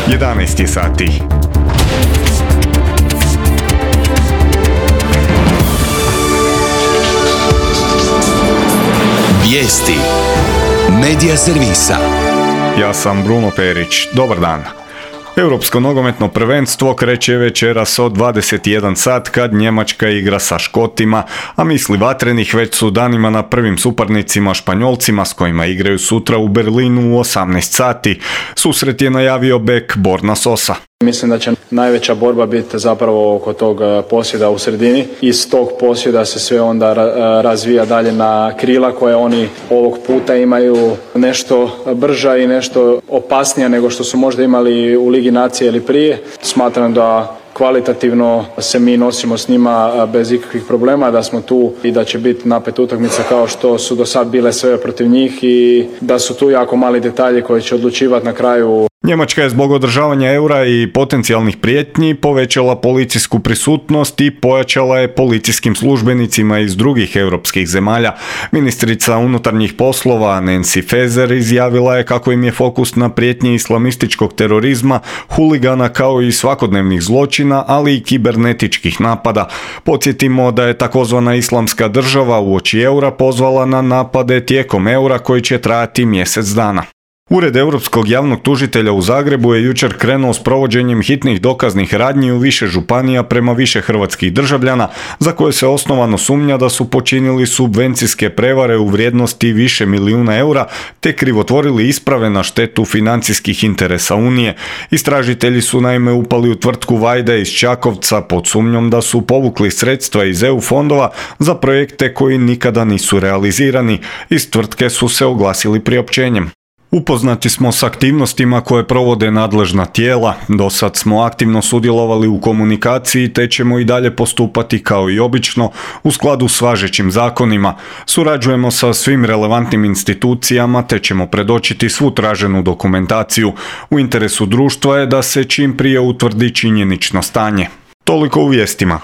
11 sati. Vijesti Medija servisa. Ja sam Bruno Perić. Dobar dan. Europsko nogometno prvenstvo kreće večeras od 21 sat kad Njemačka igra sa Škotima, a misli vatrenih već su danima na prvim suparnicima Španjolcima s kojima igraju sutra u Berlinu u 18 sati. Susret je najavio bek Borna Sosa. Mislim da će najveća borba biti zapravo oko tog posjeda u sredini. Iz tog posjeda se sve onda razvija dalje na krila koje oni ovog puta imaju nešto brža i nešto opasnija nego što su možda imali u Ligi nacije ili prije. Smatram da kvalitativno se mi nosimo s njima bez ikakvih problema, da smo tu i da će biti napet utakmica kao što su do sad bile sve protiv njih i da su tu jako mali detalji koji će odlučivati na kraju. Njemačka je zbog održavanja eura i potencijalnih prijetnji povećala policijsku prisutnost i pojačala je policijskim službenicima iz drugih europskih zemalja. Ministrica unutarnjih poslova Nancy Faeser izjavila je kako im je fokus na prijetnji islamističkog terorizma, huligana kao i svakodnevnih zločina, ali i kibernetičkih napada. Podsjetimo da je takozvana islamska država uoči eura pozvala na napade tijekom eura koji će trajati mjesec dana. Ured Europskog javnog tužitelja u Zagrebu je jučer krenuo s provođenjem hitnih dokaznih radnji u više županija prema više hrvatskih državljana za koje se osnovano sumnja da su počinili subvencijske prevare u vrijednosti više milijuna eura te krivotvorili isprave na štetu financijskih interesa Unije. Istražitelji su naime upali u tvrtku Vajde iz Čakovca pod sumnjom da su povukli sredstva iz EU fondova za projekte koji nikada nisu realizirani. Iz tvrtke su se oglasili priopćenjem. Upoznati smo s aktivnostima koje provode nadležna tijela, do sad smo aktivno sudjelovali u komunikaciji te ćemo i dalje postupati kao i obično u skladu s važećim zakonima. Surađujemo sa svim relevantnim institucijama te ćemo predočiti svu traženu dokumentaciju. U interesu društva je da se čim prije utvrdi činjenično stanje. Toliko u vijestima.